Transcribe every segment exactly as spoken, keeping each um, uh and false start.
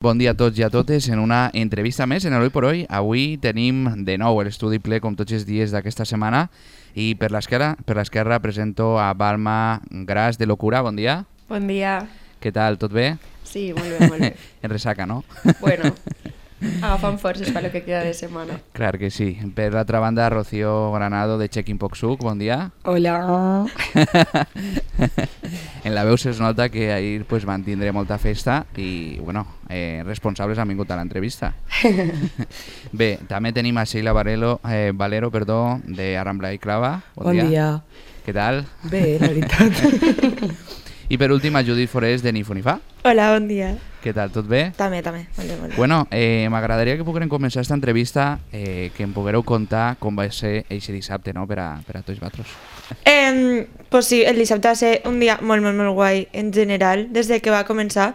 Bon dia a tots i a totes en una entrevista més en el Hoy por Hoy. Avui tenim de nou l'estudi ple com tots els dies d'aquesta setmana i per l'esquerra per l'esquerra presento a Balma Gras de Locura. Bon dia. Bon dia. Què tal, tot bé? Sí, molt bé, molt bé. En ressaca, no? Bueno, agafant forces per lo que queda de setmana. Clar que sí. Per l'altra banda, Rocío Granado de Checking Poxuc. Bon dia. Hola. En la veu se'ls nota que ahir pues, van tindre molta festa i bueno, eh, responsables han vingut a l'entrevista. Bé, també tenim a Sheila Valero, eh, Valero perdó, de Arrambla i Clava. Bon, bon dia. dia. Què tal? Bé, la veritat. I per últim a Judit Forés de Ni Fu Ni Fa. Hola, bon dia. Què tal, tot bé? També, també. Molt bé, molt bé. Bueno, eh, m'agradaria que poguérem començar aquesta entrevista, eh, que em poguéreu contar com va ser eixe dissabte, no?, per a, per a tots vosaltres. Eh, pues sí, el dissabte va ser un dia molt, molt, molt guai en general. Des de que va començar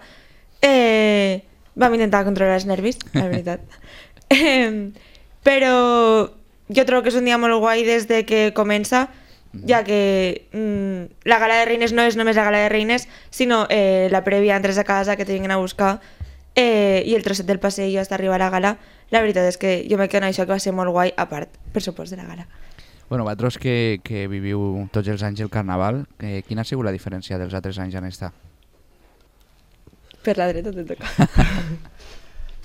eh, vam intentar controlar els nervis, la veritat. eh, però jo trobo que és un dia molt guai des de que comença, ja que mm, la gala de reines no és només la gala de reines, sinó eh, la prèvia entres a casa, que te vinguin a buscar, eh, i el trosset del passeig hasta arribar a la gala. La veritat és que jo me quedo en això, que va ser molt guai, a part, per supost, de la gala. Bueno, vosaltres que, que viviu tots els anys el Carnaval, eh, quina ha sigut la diferència dels altres anys en esta? Per la dreta te toca.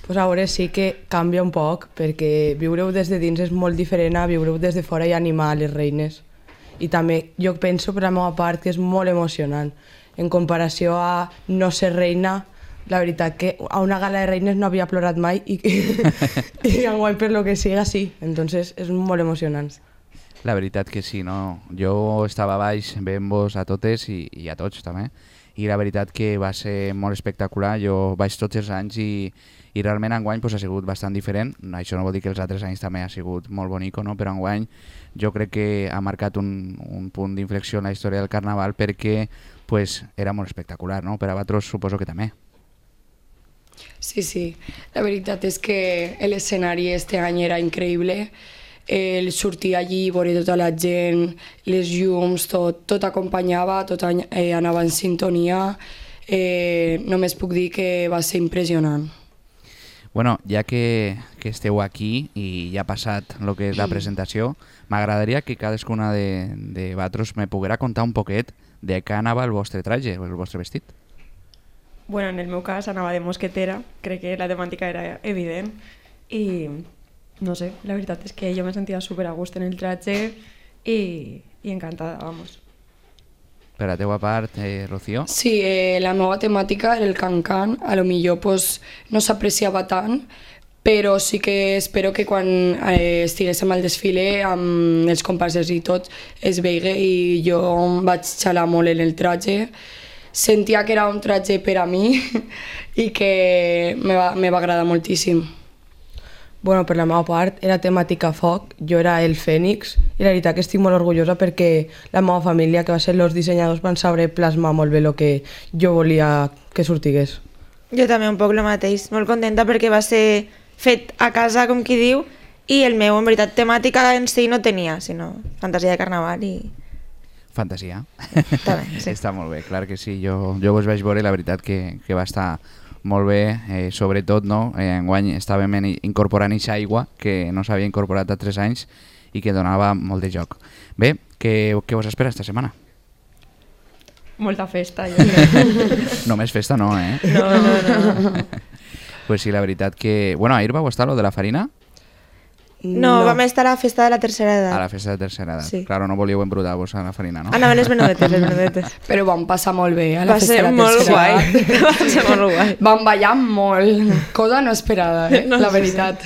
Pues a veure, sí que canvia un poc, perquè viure-ho des de dins és molt diferent a viure-ho des de fora i animar les reines. I també jo penso per la meva part que és molt emocionant. En comparació a no ser reina, la veritat que a una gala de reines no havia plorat mai i, i enguany per lo que siga sí. Entonces és molt emocionant. La veritat que sí, no? Jo estava baix veient-vos a totes i, i a tots també, i la veritat que va ser molt espectacular. Jo vaig tots els anys i, i realment enguany pues, ha sigut bastant diferent. Això no vol dir que els altres anys també ha sigut molt bonico, no? Però enguany jo crec que ha marcat un, un punt d'inflexió en la història del Carnaval perquè pues, era molt espectacular, no? Per a vosaltres suposo que també. Sí, sí. La veritat és que l'escenari este any era increïble. El sortir allí, veure tota la gent, les llums, tot, tot acompanyava, tot eh, anava en sintonia. Eh, només puc dir que va ser impressionant. Bueno, ja que, que esteu aquí i ja ha passat el que és la presentació, m'agradaria que cadascuna de, de vosaltres me poguera contar un poquet de què anava el vostre traje, el vostre vestit. Bueno, en el meu cas anava de mosquetera, crec que la temàtica era evident i no sé, la veritat és que jo me sentia super a gust en el traje i, i encantada, vamos. Per la teua part, eh, Rocío? Sí, eh, la meva temàtica era el can-can, a lo millor pues, no s'apreciava tant, però sí que espero que quan eh, estiguéssim al desfile amb els comparses i tot es veigui i jo vaig xalar molt en el traje. Sentia que era un traje per a mi i que me va, me va agradar moltíssim. Bueno, per la meva part era temàtica foc, jo era el Fènix i la veritat que estic molt orgullosa perquè la meva família, que va ser els dissenyadors, van saber plasmar molt bé el que jo volia que sortigués. Jo també un poc el mateix, molt contenta perquè va ser fet a casa, com qui diu, i el meu, en veritat, temàtica en si no tenia, sinó fantasia de carnaval i... Fantasia. També, sí. Està molt bé, clar que sí. Jo, jo vos vaig veure, la veritat que, que va estar molt bé, eh, sobretot, no? Eh, enguany estàvem incorporant eixa aigua que no s'havia incorporat a tres anys i que donava molt de joc. Bé, què, què vos espera esta setmana? Molta festa, jo crec. Només festa no, eh? No, no, no. Pues sí, la veritat que... Bueno, ahir vau estar lo de la farina? No, no, vam estar a la festa de la tercera edat. A la festa de tercera edat. Sí. Claro, no volíeu embrutar-vos a la farina, no? Anaven les menudetes, les menudetes. Però vam passar molt bé a la Va festa ser de la molt tercera guai. edat. Va ser molt guai. Vam ballar molt, cosa no esperada, eh? No, la sí, veritat.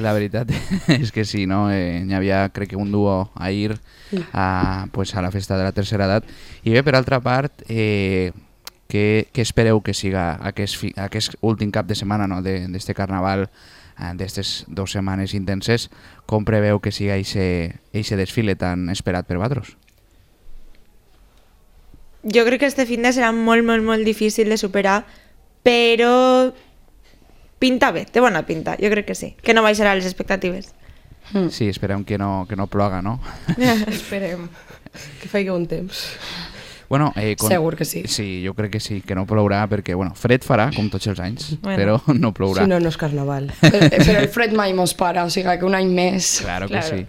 La veritat és que sí, no? Eh, n'hi havia, crec que un duo ahir a, pues, a la festa de la tercera edat. I bé, per altra part, eh, què, què espereu que siga aquest, fi, aquest últim cap de setmana, no? d'este carnaval, eh, d'estes dues setmanes intenses? Com preveu que siga eixe desfile tan esperat per vosaltres? Jo crec que este fin de serà molt, molt, molt difícil de superar, però pinta bé, té bona pinta, jo crec que sí, que no baixarà les expectatives. Sí, esperem que no, que no ploga, no? Esperem. Que faci un temps. Bueno, eh, con... Segur que sí. Sí, jo crec que sí, que no plourà perquè, bueno, fred farà, com tots els anys, Bueno. però no plourà. Si no, no és carnaval. Però, però el fred mai mos para, o sigui que un any més... Claro que Claro. sí.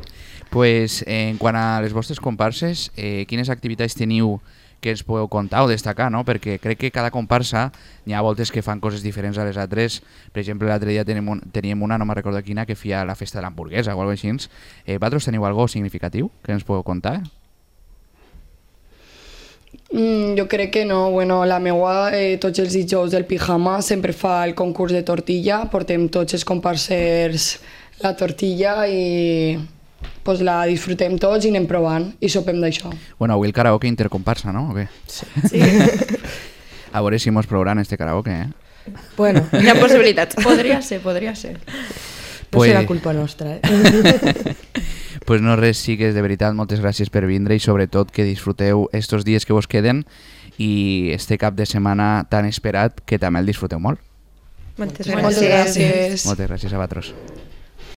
Pues, eh, en quant a les vostres comparses, eh, quines activitats teniu que ens podeu contar o destacar, no? Perquè crec que cada comparsa n'hi ha voltes que fan coses diferents a les altres. Per exemple, l'altre dia teníem, un, teníem una, no me'n recordo quina, que feia la festa de l'hamburguesa o alguna cosa així. Eh, vosaltres teniu alguna significatiu que ens podeu contar? Mm, jo crec que no. Bueno, la meua, eh, tots els dijous del pijama sempre fa el concurs de tortilla. Portem tots els comparsers la tortilla i pues, la disfrutem tots i anem provant i sopem d'això. Bueno, avui el karaoke intercomparsa, no? O què? Sí. Sí. A veure si mos plouran este karaoke, eh? Bueno, Hi ha possibilitats. Podria ser, podria ser. no Pues- serà culpa nostra, eh? Pues no res, sigues, de veritat, moltes gràcies per vindre i sobretot que disfruteu estos dies que vos queden i este cap de setmana tan esperat que també el disfruteu molt. Moltes Moltes Moltes gràcies. gràcies. Moltes gràcies a vosaltres.